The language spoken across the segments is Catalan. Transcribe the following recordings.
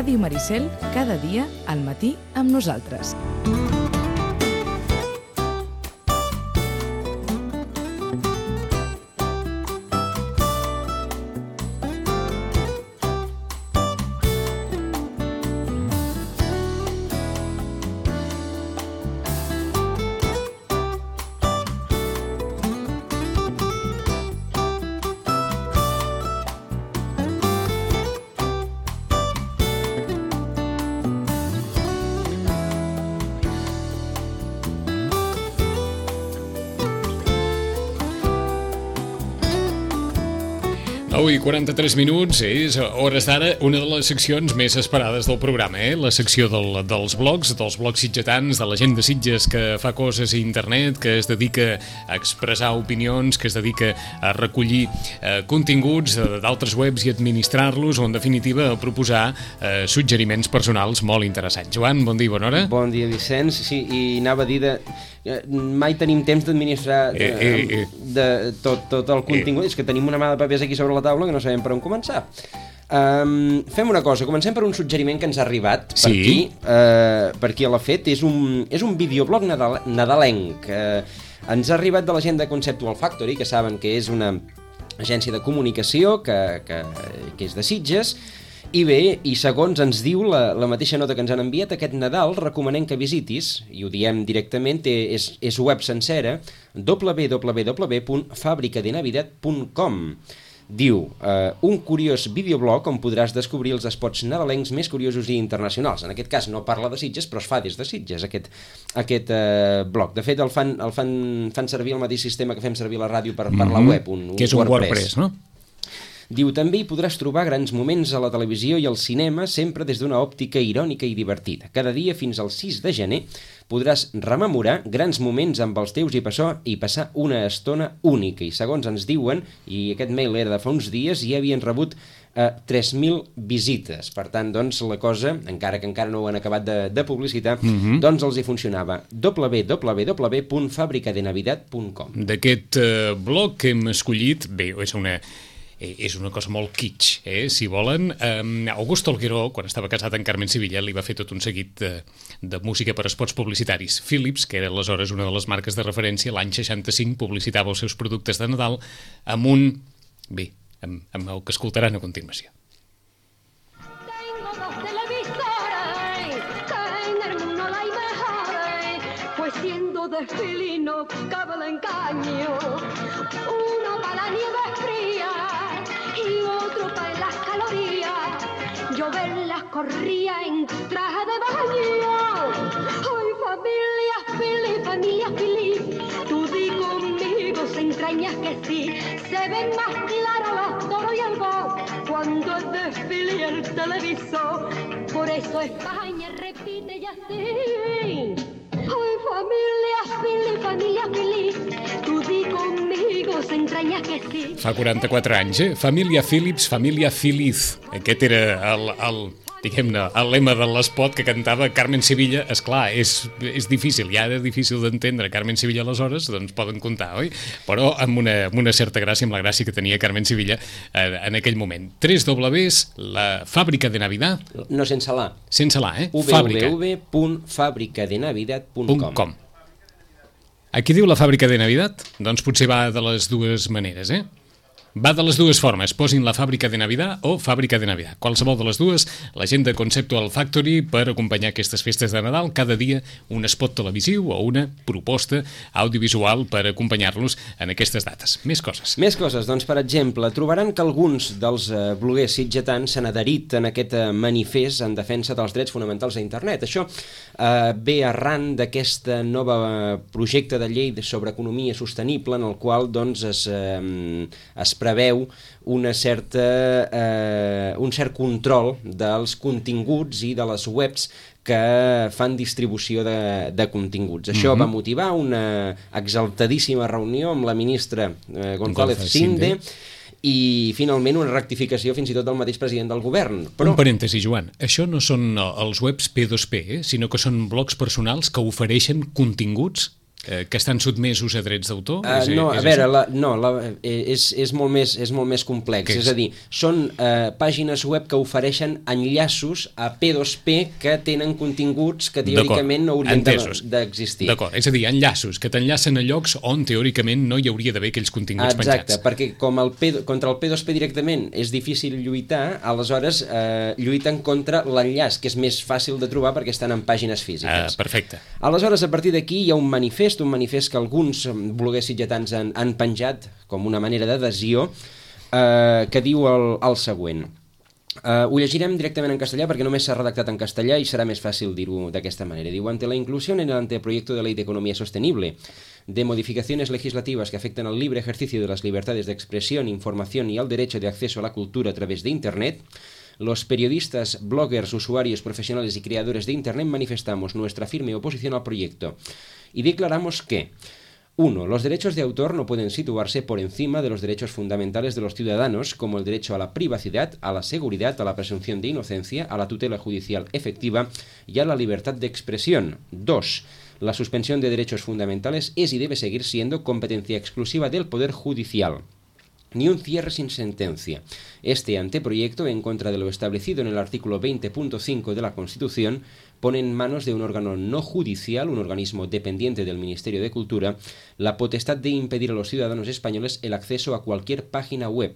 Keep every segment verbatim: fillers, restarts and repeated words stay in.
Ràdio Maricel, cada dia al matí amb nosaltres. nou i quaranta-tres minuts, és hores d'ara una de les seccions més esperades del programa, eh? La secció del, dels blogs, dels blogs sitgetans, de la gent de Sitges que fa coses a internet, que es dedica a expressar opinions, que es dedica a recollir eh, continguts d'altres webs i administrar-los, o en definitiva a proposar eh, suggeriments personals molt interessants. Joan, bon dia i bona hora. Bon dia, Vicenç. Sí, i anava a dir de... mai tenim temps d'administrar eh, eh, eh. de tot, tot el contingut, eh. és que tenim una mà de papers aquí sobre la taula que no sabem per on començar. Um, fem una cosa, comencem per un suggeriment que ens ha arribat per, sí. aquí, uh, per qui l'ha fet. És un, és un videoblog nadal, nadalenc. Uh, ens ha arribat de la gent de Conceptual Factory, que saben que és una agència de comunicació que, que, que és de Sitges. I bé, i segons ens diu la, la mateixa nota que ens han enviat, aquest Nadal recomanem que visitis, i ho diem directament, té, és, és web sencera, w w w punt fabrica de navidad punt com. Diu, eh, un curiós videoblog on podràs descobrir els spots nadalencs més curiosos i internacionals. En aquest cas no parla de Sitges, però es fa des de Sitges, aquest, aquest eh, blog. De fet, el fan, el fan, fan servir el mateix sistema que fem servir la ràdio per, per mm-hmm. la web, un, un que és un WordPress, WordPress, no? Diu, també hi podràs trobar grans moments a la televisió i al cinema, sempre des d'una òptica irònica i divertida. Cada dia fins al sis de gener podràs rememorar grans moments amb els teus i passar, i passar una estona única. I segons ens diuen, i aquest mail era de fa uns dies, ja havien rebut eh, tres mil visites. Per tant, doncs, la cosa, encara que encara no ho han acabat de, de publicitar, mm-hmm. doncs els hi funcionava. w w w punt fabrica de navidad punt com. D'aquest eh, blog que hem escollit, bé, és una... és una cosa molt kitsch, eh? Si volen. Um, Augusto Algueró, quan estava casat amb Carmen Sevilla, li va fer tot un seguit de, de música per spots publicitaris. Philips, que era aleshores una de les marques de referència, l'any seixanta-cinc publicitava els seus productes de Nadal amb un... bé, amb, amb el que escoltaran a continuació. Tengo dos televisores, que en el mundo la hay mejores, pues siendo de felino cabe el engaño, uno para la nieve fría y otro para las calorías. Yo verlas corría en traje de baño. Ay, familia, Fili, familia, Fili, tú di conmigo, se entrañas que sí. Se ven más claros los toros y el voz cuando es desfile el televisor. Por eso España repite ya así. Ay, familia, Fili, familia, Fili, tu di conmigo, s'entranya que sí. Fa quaranta-quatre anys, eh? Família Philips, família feliz. Aquest era el, el, diguem-ne, el lema de l'espot que cantava Carmen Sevilla. Esclar, és, és difícil, ja era difícil d'entendre Carmen Sevilla aleshores, doncs poden comptar, oi? Però amb una, amb una certa gràcia, amb la gràcia que tenia Carmen Sevilla eh, en aquell moment. Tres dobles, la fàbrica de Navidad. No, sense la. Sense la, eh? w w w punt fabrica de navidad punt com. Aquí diu la fàbrica de Navidad? Doncs potser va de les dues maneres, eh? Va de les dues formes, posin la fàbrica de Navidad o fàbrica de Navidad. Qualsevol de les dues, la gent de Conceptual Factory per acompanyar aquestes festes de Nadal, cada dia un spot televisiu o una proposta audiovisual per acompanyar-los en aquestes dates. Més coses. Més coses, doncs, per exemple, trobaran que alguns dels eh, bloguers sitgetans s'han adherit en aquest eh, manifest en defensa dels drets fonamentals a internet. Això eh, ve arran d'aquest nova projecte de llei sobre economia sostenible en el qual, doncs, es, eh, es preveu una certa, eh, un cert control dels continguts i de les webs que fan distribució de, de continguts. Això mm-hmm. va motivar una exaltadíssima reunió amb la ministra eh, González Cinde i finalment una rectificació fins i tot del mateix president del govern. Però... Un parèntesi, Joan, això no són els webs P dos P, eh? Sinó que són blogs personals que ofereixen continguts que estan sotmesos a drets d'autor? Uh, és, no, és a veure, la, no, la, és, és, molt més, és molt més complex. És? és a dir, són uh, pàgines web que ofereixen enllaços a P dos P que tenen continguts que teòricament no haurien d'existir. D'acord, és a dir, enllaços que t'enllacen a llocs on teòricament no hi hauria d'haver aquells continguts Exacte, penjats. Exacte, perquè com el P, contra el P dos P directament és difícil lluitar, aleshores eh, lluiten contra l'enllaç, que és més fàcil de trobar perquè estan en pàgines físiques. Uh, perfecte. Aleshores, a partir d'aquí hi ha un manifest, un manifest que alguns bloguers sitgetans han, han penjat com una manera d'adhesió, eh, que diu el, el següent. Eh, ho llegirem directament en castellà perquè només s'ha redactat en castellà i serà més fàcil dir-ho d'aquesta manera. Diu, ante la inclusión en el anteproyecto de ley de economía sostenible de modificaciones legislativas que afectan al libre ejercicio de las libertades de expresión, información y al derecho de acceso a la cultura a través de Internet, los periodistas, bloggers, usuarios profesionales y creadores de Internet manifestamos nuestra firme oposición al proyecto y declaramos que uno. Los derechos de autor no pueden situarse por encima de los derechos fundamentales de los ciudadanos, como el derecho a la privacidad, a la seguridad, a la presunción de inocencia, a la tutela judicial efectiva y a la libertad de expresión. dos. La suspensión de derechos fundamentales es y debe seguir siendo competencia exclusiva del Poder Judicial. Ni un cierre sin sentencia. Este anteproyecto, en contra de lo establecido en el artículo veinte punto cinco de la Constitución, pone en manos de un órgano no judicial, un organismo dependiente del Ministerio de Cultura, la potestad de impedir a los ciudadanos españoles el acceso a cualquier página web.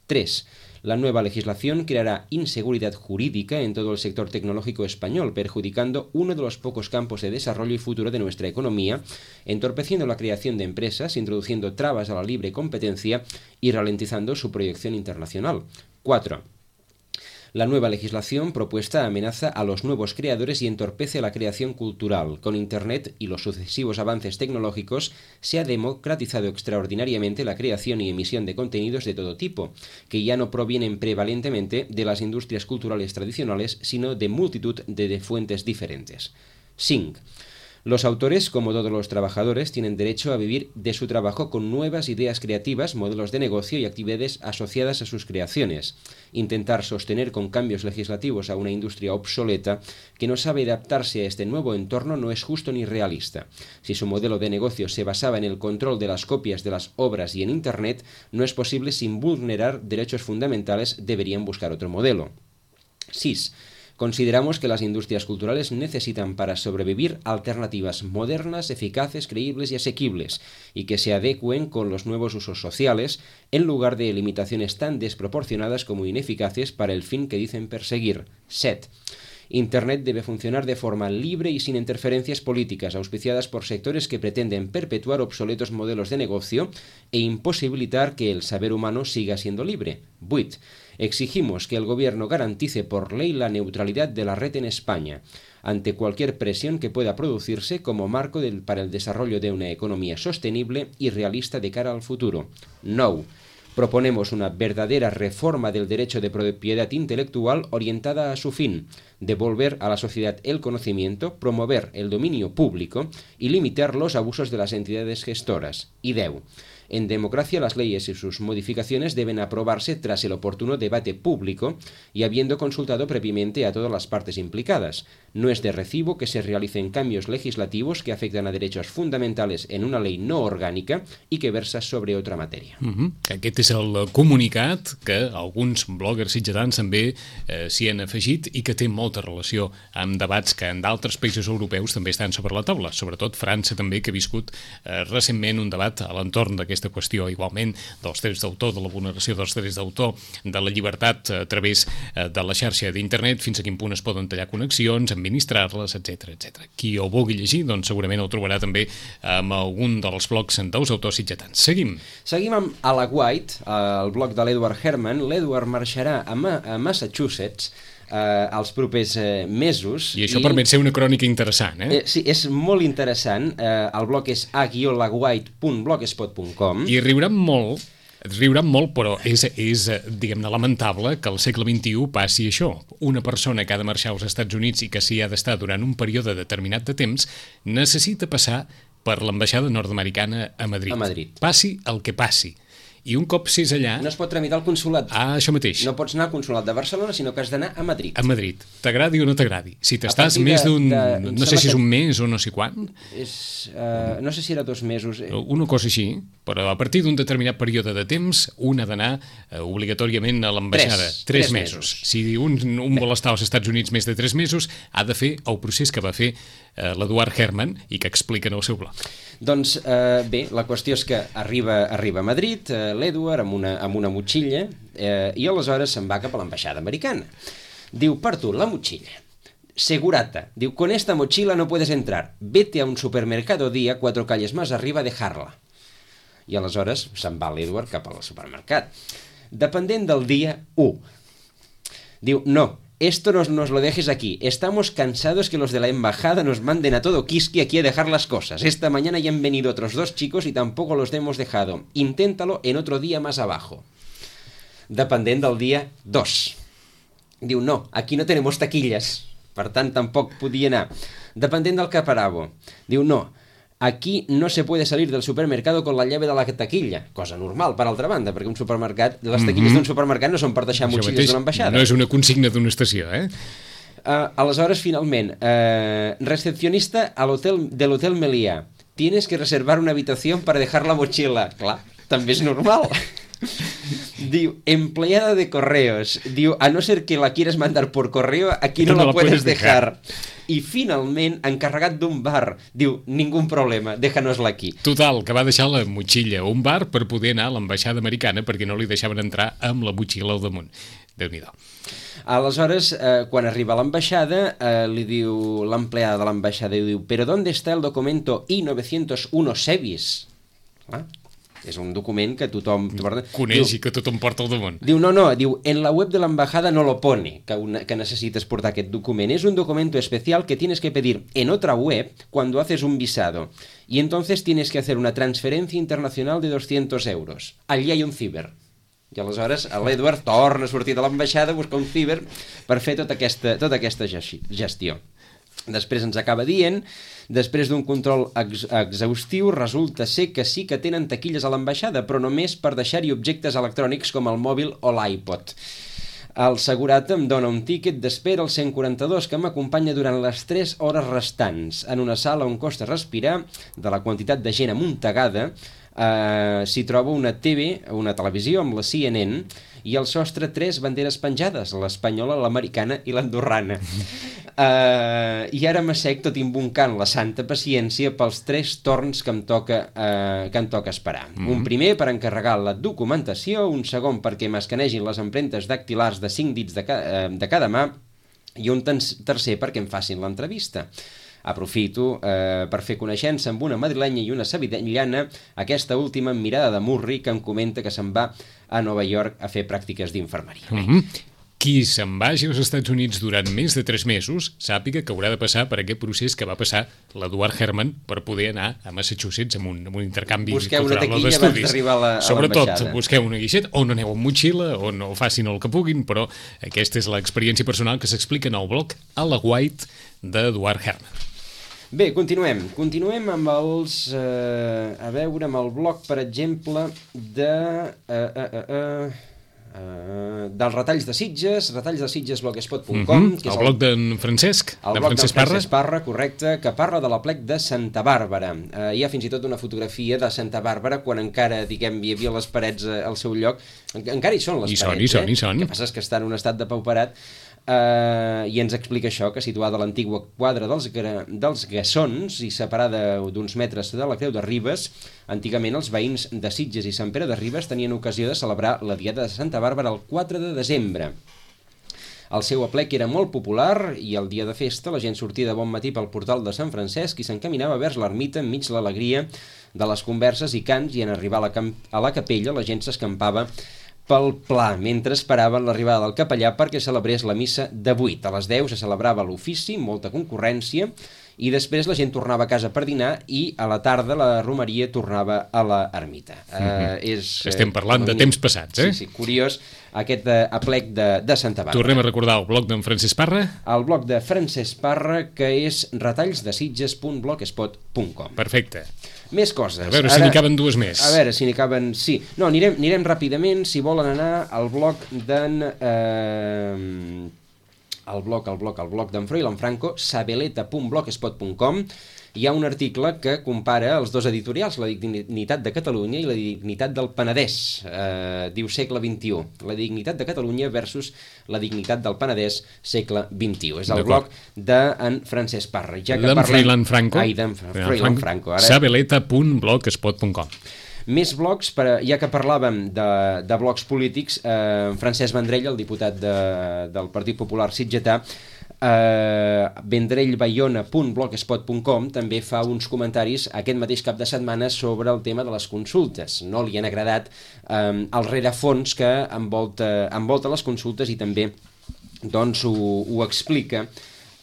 tres. La nueva legislación creará inseguridad jurídica en todo el sector tecnológico español, perjudicando uno de los pocos campos de desarrollo y futuro de nuestra economía, entorpeciendo la creación de empresas, introduciendo trabas a la libre competencia y ralentizando su proyección internacional. cuatro. La nueva legislación propuesta amenaza a los nuevos creadores y entorpece la creación cultural. Con Internet y los sucesivos avances tecnológicos se ha democratizado extraordinariamente la creación y emisión de contenidos de todo tipo, que ya no provienen prevalentemente de las industrias culturales tradicionales, sino de multitud de, de fuentes diferentes. cinco. Los autores, como todos los trabajadores, tienen derecho a vivir de su trabajo con nuevas ideas creativas, modelos de negocio y actividades asociadas a sus creaciones. Intentar sostener con cambios legislativos a una industria obsoleta que no sabe adaptarse a este nuevo entorno no es justo ni realista. Si su modelo de negocio se basaba en el control de las copias de las obras y en Internet, no es posible sin vulnerar derechos fundamentales, deberían buscar otro modelo. seis. Consideramos que las industrias culturales necesitan para sobrevivir alternativas modernas, eficaces, creíbles y asequibles, y que se adecúen con los nuevos usos sociales, en lugar de limitaciones tan desproporcionadas como ineficaces para el fin que dicen perseguir. siete. Internet debe funcionar de forma libre y sin interferencias políticas, auspiciadas por sectores que pretenden perpetuar obsoletos modelos de negocio e imposibilitar que el saber humano siga siendo libre. ocho. Exigimos que el Gobierno garantice por ley la neutralidad de la red en España, ante cualquier presión que pueda producirse como marco del, para el desarrollo de una economía sostenible y realista de cara al futuro. nueve. Proponemos una verdadera reforma del derecho de propiedad intelectual orientada a su fin, devolver a la sociedad el conocimiento, promover el dominio público y limitar los abusos de las entidades gestoras. Y diez. En democracia, las leyes y sus modificaciones deben aprobarse tras el oportuno debate público y habiendo consultado previamente a todas las partes implicadas. No es de recibo que se realicen cambios legislativos que afectan a derechos fundamentales en una ley no orgànica i que versa sobre otra matèria. Uh-huh. Aquest és el comunicat que alguns bloggers sitgetans també eh, s'hi han afegit i que té molta relació amb debats que en d'altres països europeus també estan sobre la taula, sobretot França també, que ha viscut eh, recentment un debat a l'entorn d'aquesta qüestió, igualment dels drets d'autor, de la vulneració dels drets d'autor, de la llibertat a través eh, de la xarxa d'internet, fins a quin punt es poden tallar connexions, administrar-les, etcètera, etcètera. Qui ho vulgui llegir, doncs segurament ho trobarà també amb algun dels blogs dels autors sitgetans. Seguim. Seguim amb A la White, el blog de l'Edward Herman. L'Edward marxarà a, Ma a Massachusetts eh, els propers eh, mesos. I això i... permet ser una crònica interessant, eh? eh sí, és molt interessant. Eh, el blog és a guió la white punt blogspot punt com. I riuran molt, riuran molt, però és, és diguem-ne, lamentable que al segle vint-i-u passi això. Una persona que ha de marxar als Estats Units i que s'hi ha d'estar durant un període determinat de temps necessita passar per l'ambaixada nord-americana a Madrid. A Madrid. Passi el que passi. I un cop sés allà... No es pot tramitar al consulat. Ah, això mateix. No pots anar al consulat de Barcelona, sinó que has d'anar a Madrid. A Madrid. T'agradi o no t'agradi. Si t'estàs més d'un... No sé si és un mes o no sé quan. És, uh, no sé si era dos mesos. Una cosa així, però a partir d'un determinat període de temps, un ha d'anar uh, obligatoriament a l'ambaixada. Tres, tres, tres mesos. mesos. Si un, un vol estar als Estats Units més de tres mesos, ha de fer el procés que va fer uh, l'Eduard Herman i que explica en el seu blog. Doncs eh, bé, la qüestió és que arriba, arriba a Madrid eh, l'Edward amb una, amb una motxilla eh, i aleshores se'n va cap a l'ambaixada americana. Diu, per tu, la motxilla. Segurata. Diu, con esta mochila no puedes entrar. Vete a un supermercado día cuatro calles más arriba a dejarla. I aleshores se'n va l'Edward cap al supermercat. Dependent del dia u. Diu, no. Esto nos, nos lo dejes aquí. Estamos cansados que los de la embajada nos manden a todo quisqui aquí a dejar las cosas. Esta mañana ya han venido otros dos chicos y tampoco los hemos dejado. Inténtalo en otro día más abajo. Dependent del dia dos. Diu, no, aquí no tenemos taquillas. Per tant, tampoc podia anar. Dependent del caparabo. Diu, no, aquí no se puede salir del supermercado con la llave de la taquilla. Cosa normal, per altra banda, perquè un supermercat, les taquilles mm-hmm. d'un supermercat no són per deixar motxilles d'una ambaixada. No és una consigna d'una estació, eh? Uh, aleshores, finalment, uh, recepcionista al hotel, del Hotel Meliá. Tienes que reservar una habitación para dejar la mochila. Clar, també és normal. Diu, empleada de correos. Diu, a no ser que la quieras mandar por correo, aquí no, no la, la puedes dejar. dejar. I finalment, encarregat d'un bar, diu, ningú problema, déjanos-la aquí. Total, que va deixar la motxilla a un bar per poder anar a l'ambaixada americana perquè no li deixaven entrar amb la motxilla al damunt. Déu-n'hi-do. Aleshores, eh, quan arriba a l'ambaixada, eh, li diu l'empleada de l'ambaixada, diu, però ¿dónde está el documento I novecientos uno SEVIS? Ah, és un document que tothom... Coneix diu, i que tothom porta al damunt. Diu, no, no, diu, en la web de l'embajada no lo pone, que, una, que necesites portar aquest document. Es un documento especial que tienes que pedir en otra web cuando haces un visado. Y entonces tienes que hacer una transferencia internacional de doscientos euros. Allí hay un ciber. I aleshores l'Edward torna a sortir de l'ambaixada a buscar un ciber per fer tota aquesta, tota aquesta gestió. Després ens acaba dient, després d'un control ex exhaustiu, resulta ser que sí que tenen taquilles a l'ambaixada, però només per deixar-hi objectes electrònics com el mòbil o l'iPod. El segurata em dona un tíquet d'espera al cent quaranta-dos que m'acompanya durant les tres hores restants en una sala on costa respirar. De la quantitat de gent amuntegada eh, s'hi troba una T V, una televisió amb la C N N i al sostre tres banderes penjades, l'espanyola, l'americana i l'andorrana. Uh, I ara m'assec tot imbuncant la santa paciència pels tres torns que em toca, uh, que em toca esperar. Mm-hmm. Un primer per encarregar la documentació, un segon perquè m'escanegin les empremtes dactilars de cinc dits de, ca uh, de cada mà i un tercer perquè em facin l'entrevista. Aprofito eh, per fer coneixença amb una madrilenya i una sevillana, aquesta última amb mirada de murri que em comenta que se'n va a Nova York a fer pràctiques d'infermeria. Mm-hmm. Qui se'n vagi als Estats Units durant més de tres mesos sàpiga que haurà de passar per aquest procés que va passar l'Eduard Herman per poder anar a Massachusetts amb un, amb un intercanvi busqueu cultural d'estudis. Busqueu una taquilla abans d'arribar a Sobretot, busqueu una guixeta, o no aneu amb motxilla, o no facin el que puguin, però aquesta és l'experiència personal que s'explica en el blog A la White d'Eduard Herman. Bé, continuem. Continuem amb els... Eh, a veure, amb el blog, per exemple, de... Eh, eh, eh, eh, dels retalls de Sitges, retalls de Sitges blogspot punt com, mm-hmm. que és el, el blog d'en Francesc, el blog d'en Francesc Parra, correcte, que parla de l'aplec de Santa Bàrbara. Eh, hi ha fins i tot una fotografia de Santa Bàrbara quan encara, diguem, hi havia les parets al seu lloc. Encara hi són les I parets, són, i són, eh? i són. El que passa és que està en un estat de pauperat. Uh, i ens explica això, que situada a l'antigua quadra dels, dels Gassons i separada d'uns metres de la Creu de Ribes, antigament els veïns de Sitges i Sant Pere de Ribes tenien ocasió de celebrar la Diada de Santa Bàrbara el quatre de desembre. El seu aplec era molt popular i el dia de festa la gent sortia de bon matí pel portal de Sant Francesc i s'encaminava vers l'ermita enmig de l'alegria de les converses i cants, i en arribar a la, a la capella la gent s'escampava pel pla, mentre esperaven l'arribada del capellà perquè celebrés la missa de vuit. A les deu se celebrava l'ofici, molta concurrència, i després la gent tornava a casa per dinar i a la tarda la romeria tornava a la ermita. Mm-hmm. uh, és, Estem parlant de temps passats, eh? Sí, sí, curiós, aquest uh, aplec de, de Santa Bàrbara. Tornem a recordar el blog d'en Francesc Parra. El blog de Francesc Parra, que és retallsdesitges punt blogspot punt com. Perfecte. Més coses. A veure si n'hi caben dues més. A veure si n'hi caben... Sí. No, anirem, anirem ràpidament, si volen anar al blog d'en... Eh, el blog, el blog, el blog d'en Froilán Franco, sabeleta punt blogspot punt com. Hi ha un article que compara els dos editorials, la dignitat de Catalunya i la dignitat del Penedès. Eh, diu segle vint-i-u. La dignitat de Catalunya versus la dignitat del Penedès, segle vint-i-u. És el blog d'en Francesc Parra. Ja que d'en parlem... Froilán Franco. Ai, d'en Froilán Franco. Ara... sabeleta punt blogspot punt com. Més blogs, per, ja que parlàvem de, de blogs polítics, eh, Francesc Vendrell, el diputat de, del Partit Popular sitgetà, eh, vendrell bayona punt blogspot punt com també fa uns comentaris aquest mateix cap de setmana sobre el tema de les consultes. No li han agradat eh, el rerefons que envolta, envolta les consultes i també doncs, ho, ho explica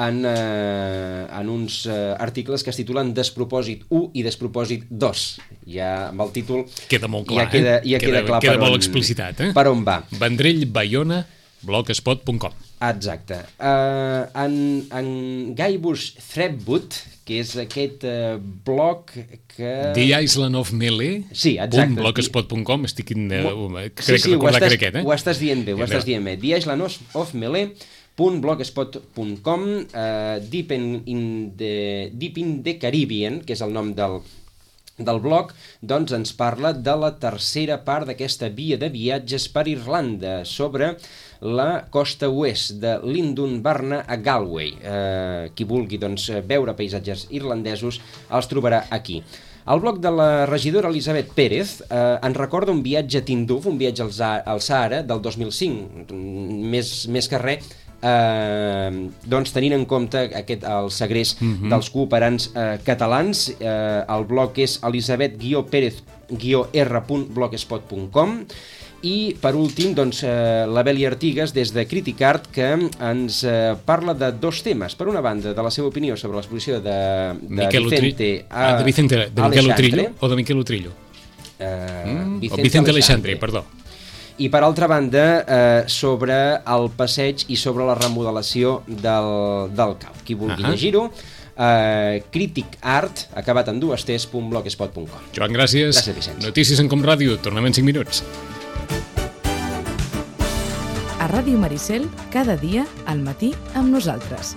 En, eh, en uns eh, articles que es titulen Despropòsit u i Despropòsit dos. Ja amb el títol queda molt clar, ja queda, ja eh? queda, queda clar queda per, molt on, explicitat, eh? per on va. vendrell bayona blogspot punt com. Exacte. Uh, en, en Guybrush Threepwood, que és aquest uh, blog que... The Island of Melee, sí, exacte. blogspot punt com, estic in, uh, crec sí, sí, que recordar estàs, que aquest, eh? ho estàs dient bé, ho estàs dient bé. The Island of Melee punt blogspot punt com, uh, Deep, in, in the, Deep in the Caribbean, que és el nom del, del blog, doncs ens parla de la tercera part d'aquesta via de viatges per Irlanda, sobre la costa oest de Lindunbarna a Galway. Uh, qui vulgui doncs, veure paisatges irlandesos els trobarà aquí. El blog de la regidora Elisabet Pérez eh, ens recorda un viatge a Tinduf, un viatge al, al Sàhara del dos mil cinc, més, més que res, eh, doncs tenint en compte aquest, el segrest mm-hmm. dels cooperants eh, catalans. Eh, el blog és elisabet guió pérez guió erra punt blogspot punt com. I, per últim, doncs, eh, la Beli Artigas, des de Criticart, que ens eh, parla de dos temes. Per una banda, de la seva opinió sobre l'exposició de, de Vicente, a, ah, de Vicente de Miquel Utrillo, o de Miquel Utrillo? Eh, mm? Vicente, o Vicente Alexandre, perdó. I, per altra banda, eh, sobre el passeig i sobre la remodelació del, del C A U. Qui vulgui uh-huh. llegir-ho, Uh, Critic Art, acabat en dues tes, punt blogspot punt com. Joan, gràcies. Gràcies, Vicenç. Notícies en Com Ràdio, tornem en cinc minuts. A Ràdio Maricel, cada dia al matí amb nosaltres.